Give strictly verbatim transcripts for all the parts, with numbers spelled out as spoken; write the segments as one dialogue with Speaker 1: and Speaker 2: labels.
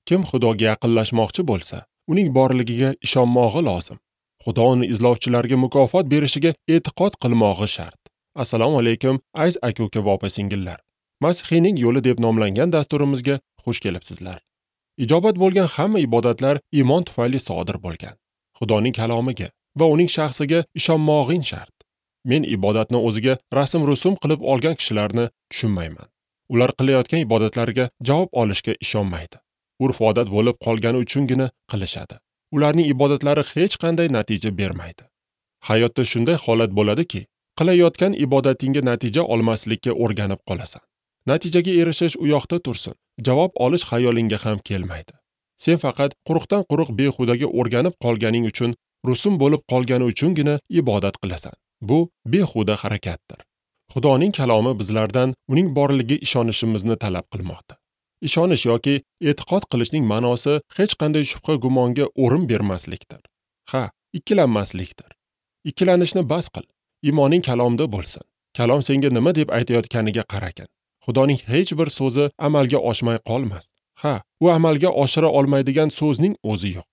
Speaker 1: Kim Xudoga yaqinlashmoqchi bo'lsa, uning borligiga ishonmog'i lozim. Xudo uni izlovchilarga mukofot berishiga e'tiqod qilmog'i shart. Assalomu alaykum, aziz aka-uka va opa-singillar. Masihiyning yo'li deb nomlangan dasturimizga xush kelibsizlar. Ijobat bo'lgan hamma ibodatlar iymon tufayli sodir bo'lgan. Xudoning kalomiga va uning shaxsiga ishonmog'ing shart. Men ibodatni o'ziga rasm-rusum qilib olgan kishilarni tushunmayman. Ular qilayotgan ibodatlariga javob olishga ishonmaydi. Urf-odat bo'lib qolgani uchungina qilishadi. Ularning ibodatlari hech qanday natija bermaydi. Hayotda shunday holat bo'ladiki, qilayotgan ibodatingga natija olmaslikka o'rganib qolasan. Natijaga erishish u yoqda tursin, javob olish xayolingga ham kelmaydi. Sen faqat quruqdan quruq behudaga o'rganib qolganing uchun, rusum bo'lib qolgani uchungina ibodat qilasan. Bu behuda harakatdir. Xudoning kalomi bizlardan uning borligiga ishonishimizni talab qilmoqda. Ishonish yoki e'tiqod qilishning ma'nosi hech qanday shubha gumonga o'rin bermaslikdir. Ha, ikkilanmaslikdir. Ikkilanishni bas qil. Iymoning kalomda bo'lsin. Kalom senga nima deb aytayotganiga qaragin. Xudoning hech bir so'zi amalga oshmay qolmas. Ha, u amalga oshira olmaydigan so'zning o'zi yo'q.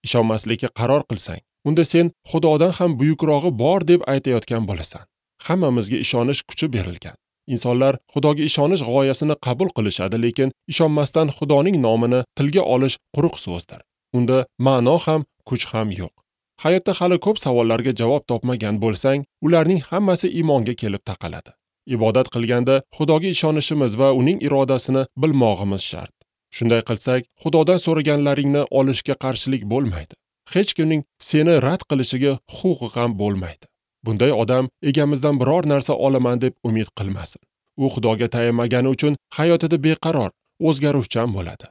Speaker 1: Ishonmaslikka qaror qilsang, unda sen Xudodan ham buyukrog'i bor deb aytayotgan bo'lasan. Hammamizga ishonish kuchi berilgan. Insonlar Xudoga ishonish g'oyasini qabul qilishadi, lekin ishonmasdan Xudoning nomini tilga olish quruq so'zdir. Unda ma'no ham, kuch ham yo'q. Hayotda hali ko'p savollarga javob topmagan bo'lsang, ularning hammasi iymonga kelib taqaladi. Ibodat qilganda Xudoga ishonishimiz va uning irodasini bilmog'imiz shart. Shunday qilsak, Xudodan so'raganlaringni olishga qarshilik bo'lmaydi. Hech kimning seni rad qilishiga huquqi ham bo'lmaydi. Bunday odam egamizdan biror narsa olaman deb umid qilmasin. U Xudoga tayanmagani uchun hayotida beqaror, o'zgaruvchan bo'ladi.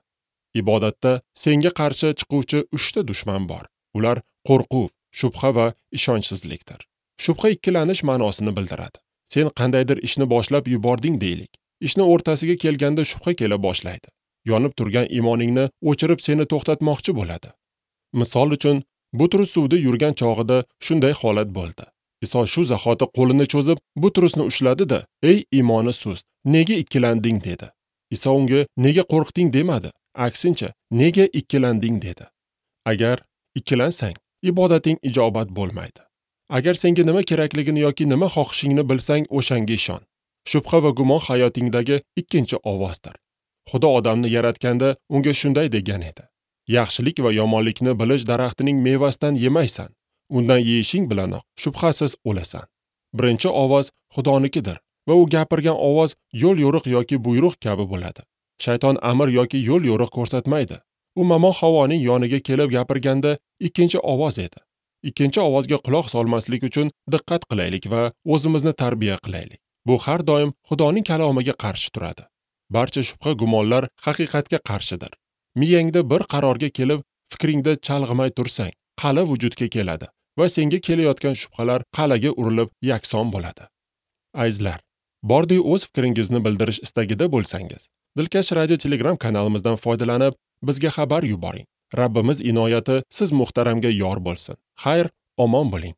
Speaker 1: Ibodatda senga qarshi chiquvchi uchta dushman bor. Ular qo'rquv, shubha va ishonchsizlikdir. Shubha ikkilanish ma'nosini bildiradi. Sen qandaydir ishni boshlab yubording deylik. Ishni o'rtasiga kelganda shubha kela boshlaydi. Yonib turgan iymoningni o'chirib seni to'xtatmoqchi bo'ladi. Misol uchun, Butrus suvda yurgan chog'ida shunday holat bo'ldi. Iso shu zahoti qo'lini cho'zib, Butrusni ushladi-da, "Ey iymoni sust, nega ikkilanding?" dedi. Iso unga "Nega qo'rqding?" demadi. Aksincha, "Nega ikkilanding?" dedi. Agar ikkilansang, ibodating ijobat bo'lmaydi. Agar senga nima kerakligini yoki nima xohishingni bilsang, o'shanga ishon. Shubha va gumon hayotingdagi ikkinchi ovozdir. Xudo odamni yaratganda unga shunday degan edi: "Yaxshilik va yomonlikni bilish daraxtining mevasidan yemaysan. Undan yeyishing bilanoq shubhasiz o'lasan." Birinchi ovoz Xudonikidir va u gapirgan ovoz yo'l-yo'riq yoki buyruq kabi bo'ladi. Shayton amr yoki yo'l-yo'riq ko'rsatmaydi. U Momo Havoning yoniga kelib gapirganda ikkinchi ovoz edi. Ikkinchi ovozga quloq solmaslik uchun diqqat qilaylik va o'zimizni tarbiya qilaylik. Bu har doim Xudoning kalomiga qarshi turadi. Barcha shubha gumonlar haqiqatga qarshidir. Miyangda bir qarorga kelib, fikringda chalg'imay tursang, qala vujudga keladi va senga kelayotgan shubhalar qalaga urilib yakson bo'ladi. Azizlar, bordi o'z fikringizni bildirish istagida bo'lsangiz, Dilkash Radio Telegram kanalimizdan foydalanib, bizga xabar yuboring. Rabbimiz inoyati siz muhtaramga yor bo'lsin. Xayr, omon bo'ling.